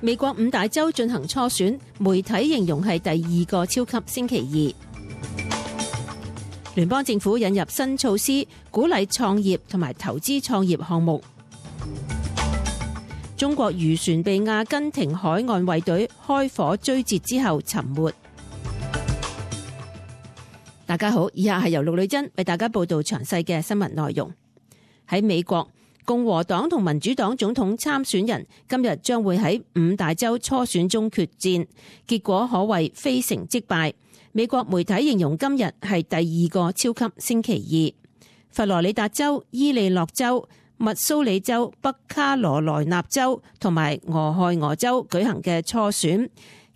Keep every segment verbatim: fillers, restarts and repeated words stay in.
美國五大州進行初選，媒體形容係第二個超級星期二。聯邦政府引入新措施，鼓勵創業同埋投資創業項目。中國漁船被阿根廷海岸衛隊開火追截之後沉沒。大家好，以下係由陸女珍為大家報道詳細嘅新聞內容。喺美國，共和黨同民主黨總統參選人今日將會喺五大州初選中決戰，結果可謂非成即敗。美國媒體形容今日係第二個超級星期二。佛羅里達州、伊利諾州、密蘇里州、北卡羅來納州同埋俄亥俄州舉行嘅初選，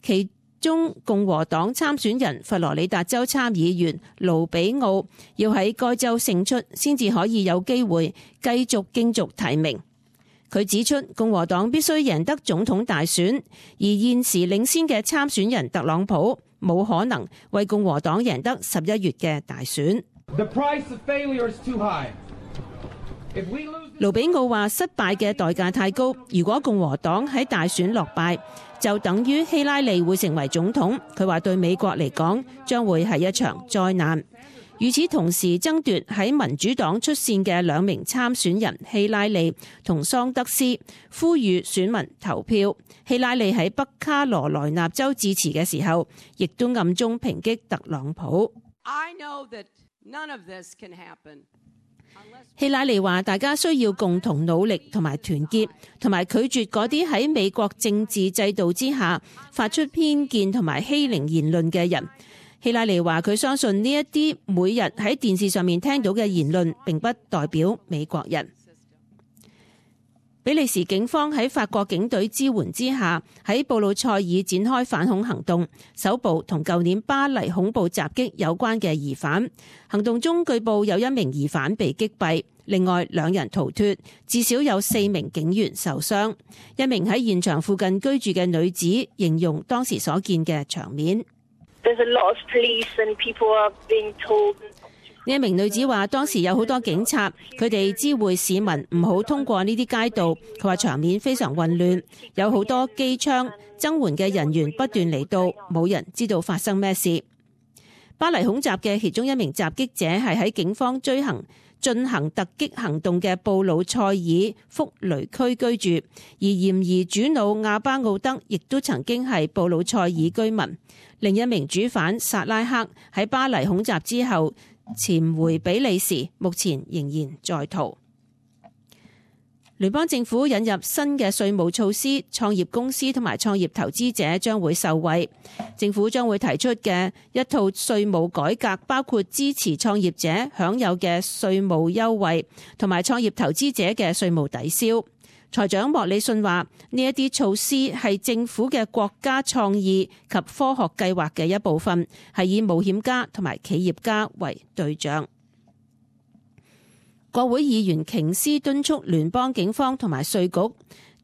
其中共和黨參選人佛羅里達州參議員盧比奧要喺該州勝出，先至可以有機會繼續競逐提名。佢指出，共和黨必須贏得總統大選，而現時領先嘅參選人特朗普冇可能為共和黨贏得十一月嘅大選。盧比奧話：失敗嘅代價太高，如果共和黨喺大選落敗，就等於希拉里會成為總統。佢話對美國嚟講，將會係一場災難。與此同時，爭奪喺民主黨出線嘅兩名參選人希拉里同桑德斯呼籲選民投票。希拉里喺北卡羅來納州致辭嘅時候，亦都暗中抨擊特朗普。I know that none of this can happen. 希拉里話：大家需要共同努力同埋團結，同埋拒絕嗰啲喺美國政治制度之下發出偏見同埋欺凌言論嘅人。希拉里話：佢相信呢一啲每日喺電視上面聽到嘅言論並不代表美國人。比利時警方喺法國警隊支援之下，喺布魯塞爾展開反恐行動，搜捕同舊年巴黎恐怖襲擊有關嘅疑犯。行動中據報有一名疑犯被擊斃，另外兩人逃脫，至少有四名警員受傷。一名喺現場附近居住嘅女子形容當時所見嘅場面。呢一名女子話：當時有好多警察，佢哋知會市民唔好通過呢啲街道。佢話場面非常混亂，有好多機槍，增援嘅人員不斷嚟到，冇人知道發生咩事。巴黎恐襲嘅其中一名襲擊者係喺警方追行進行突擊行動嘅布魯塞爾福雷區居住，而嫌疑主腦亞巴奧德亦都曾經係布魯塞爾居民。另一名主犯薩拉克喺巴黎恐襲之後潛回比利時，目前仍然在逃。聯邦政府引入新嘅稅務措施，創業公司同埋創業投資者將會受惠。政府將會提出嘅一套稅務改革，包括支持創業者享有嘅稅務優惠，同埋創業投資者嘅稅務抵消。財長莫里遜話：呢一啲措施係政府嘅國家創意及科學計劃嘅一部分，係以冒險家同埋企業家為對象。國會議員瓊斯敦促聯邦警方同埋稅局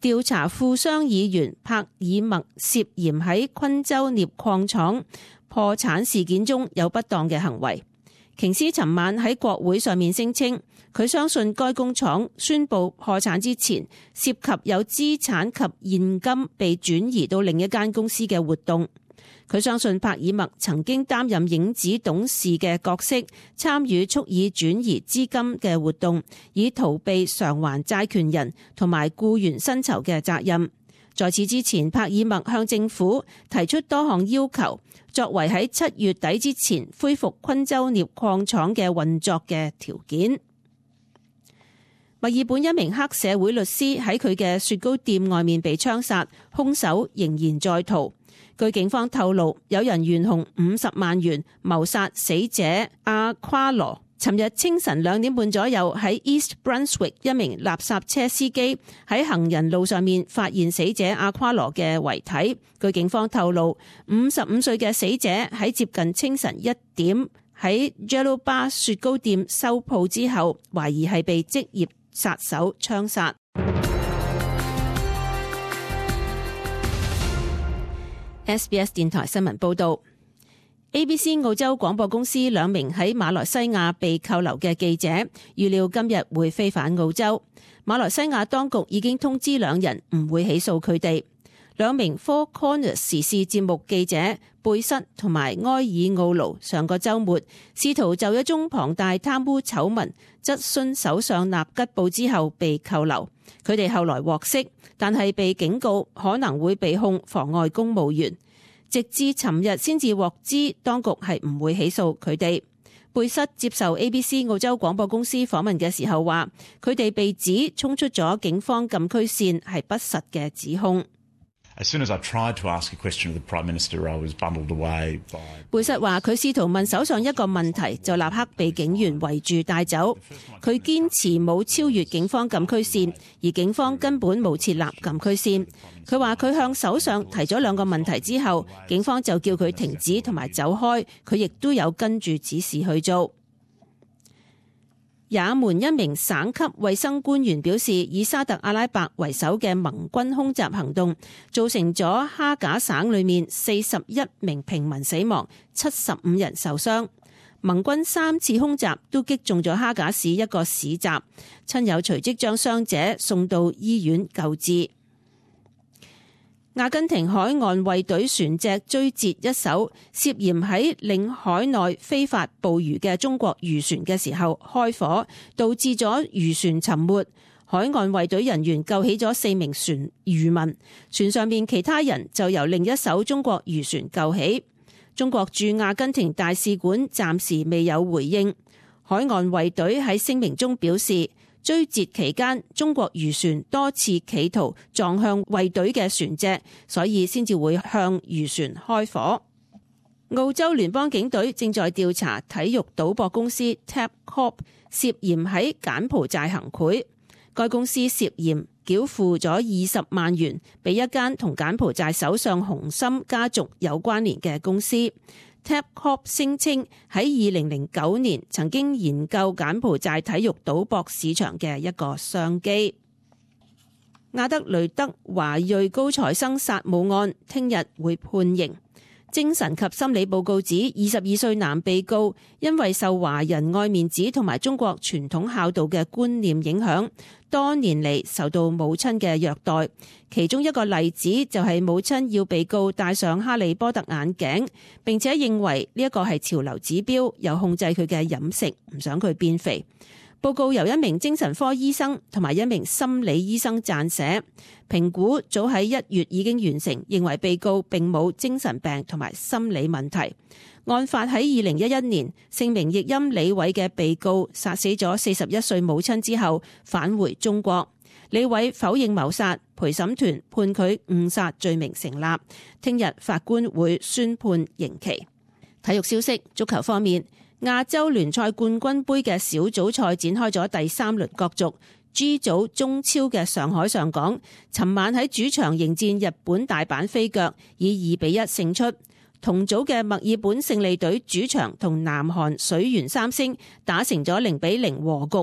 調查富商議員帕爾默涉嫌喺昆州鎳礦廠破產事件中有不當嘅行為。瓊斯尋晚喺國會上面聲稱，佢相信該工廠宣布破產之前，涉及有資產及現金被轉移到另一間公司嘅活動。佢相信帕爾默曾經擔任影子董事嘅角色，參與蓄意轉移資金嘅活動，以逃避償還債權人同埋僱員薪酬嘅責任。在此之前，帕爾默向政府提出多項要求，作為喺七月底之前恢復昆州鎳礦廠嘅運作嘅條件。墨爾本一名黑社會律師喺佢嘅雪糕店外面被槍殺，兇手仍然在逃。據警方透露，有人懸紅五十萬元謀殺死者阿夸羅。尋日清晨兩點半左右，喺 East Brunswick 一名垃圾車司機喺行人路上面發現死者阿夸羅嘅遺體。據警方透露，五十五歲嘅死者喺接近清晨一點喺 Jello Bar 雪糕店收鋪之後，懷疑係被職業殺手槍殺。S B S 電台新聞報道。A B C 澳洲廣播公司兩名喺馬來西亞被扣留嘅記者，預料今日會飛返澳洲。馬來西亞當局已經通知兩人唔會起訴佢哋。兩名 Four Corners 時事節目記者貝瑟同埋埃爾奧盧上個週末試圖就一宗龐大貪污醜聞質詢首相納吉布之後被扣留，佢哋後來獲釋，但係被警告可能會被控妨礙公務員，直至尋日先至獲知當局係唔會起訴佢哋。貝瑟接受 A B C 澳洲廣播公司訪問嘅時候話，佢哋被指衝出咗警方禁區線係不實嘅指控。As soon as I tried to ask a question of the Prime Minister, I was bundled away by... 貝瑟話佢試圖問首相一個問題，就立刻被警員圍住帶走。佢堅持冇超越警方禁區線，而警方根本冇設立禁區線。佢話佢向首相提咗兩個問題之後，警方就叫佢停止同埋走開，佢亦都有跟住指示去做。也門一名省級衛生官員表示，以沙特阿拉伯為首嘅盟軍空襲行動造成咗哈賈省裏面四十一名平民死亡，七十五人受傷。盟軍三次空襲都擊中咗哈賈市一個市集，親友隨即將傷者送到醫院救治。阿根廷海岸衛隊船隻追截一艘涉嫌喺領海內非法捕魚嘅中國漁船嘅時候開火，導致咗漁船沉沒。海岸衛隊人員救起咗四名船漁民，船上面其他人就由另一艘中國漁船救起。中國駐阿根廷大使館暫時未有回應。海岸衛隊喺聲明中表示，追截期間，中國漁船多次企圖撞向衛隊嘅船隻，所以先至會向漁船開火。澳洲聯邦警隊正在調查體育賭博公司 Tabcorp 涉嫌喺柬埔寨行賄，該公司涉嫌繳付咗二十萬元俾一間同柬埔寨首相洪森家族有關聯嘅公司。Tabcorp 聲稱喺二零零九年曾經研究柬埔寨體育賭博市場嘅一個商機。阿德雷德華裔高材生殺母案聽日會判刑。精神及心理報告指，二十二歲男被告因為受華人愛面子同埋中國傳統孝道嘅觀念影響，多年嚟受到母親嘅虐待。其中一個例子就係母親要被告戴上哈利波特眼鏡，並且認為呢一個係潮流指標，又控制佢嘅飲食，唔想佢變肥。報告由一名精神科醫生同埋一名心理醫生撰寫，評估早喺一月已經完成，認為被告並冇精神病同埋心理問題。案發喺二零一一年，姓名譯音李偉嘅被告殺死咗四十一歲母親之後返回中國。李偉否認謀殺，陪審團判佢誤殺罪名成立。聽日法官會宣判刑期。體育消息，足球方面，亞洲聯賽冠軍盃嘅小組賽展開咗第三輪角逐。G 組中超嘅上海上港，尋晚喺主場迎戰日本大阪飛腳，以二比一勝出。同組嘅墨爾本勝利隊主場同南韓水原三星打成咗零比零和局。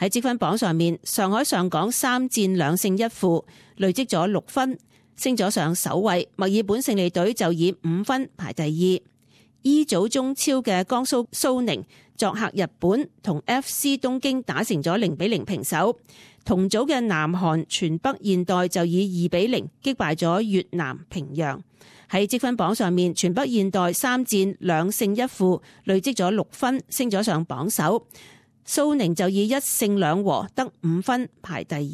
喺積分榜上面，上海上港三戰兩勝一負，累積咗六分，升咗上首位。墨爾本勝利隊就以五分排第二。E 組中超嘅江蘇蘇寧作客日本，同 F C 東京打成咗零比零平手。同組嘅南韓全北現代就以二比零擊敗咗越南平陽。喺積分榜上面，全北現代三戰兩勝一負，累積咗六分，升咗上榜首。蘇寧就以一勝兩和得五分排第二。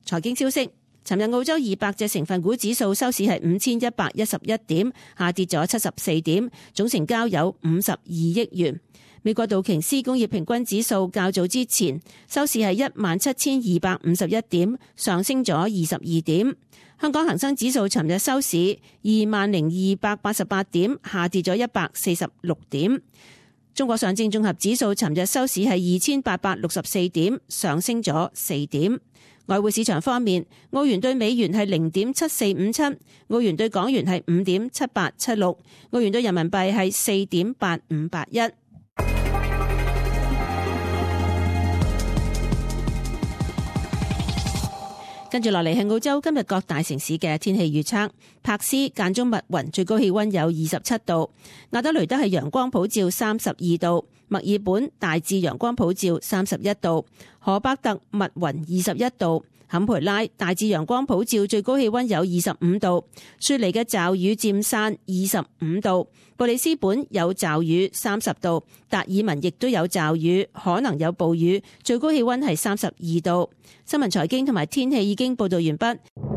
財經消息。尋日澳洲二百隻成分股指數收市係五千一百一十一點，下跌咗七十四點，總成交有五十二億元。美國道瓊斯工業平均指數較早之前收市係一萬七千二百五十一點，上升咗二十二點。香港恒生指數尋日收市二萬零二百八十八點，下跌咗一百四十六點。中國上證綜合指數尋日收市係二千八百六十四點，上升咗四點。外匯市場方面，澳元兌美元係零點七四五七，澳元兌港元係五點七八七六，澳元兌人民幣係四點八五八一。跟住落嚟係澳洲今日各大城市嘅天氣預測。柏斯間中密雲，最高氣溫有二十七度；亞德雷德係陽光普照三十二度；墨爾本大致陽光普照三十一度；荷伯特密雲二十一度；坎培拉大致陽光普照，最高氣溫有二十五度，雪梨嘅驟雨漸散二十五度，布里斯本有驟雨三十度，達爾文亦都有驟雨，可能有暴雨，最高氣溫係三十二度。新聞財經同埋天氣已經報道完畢。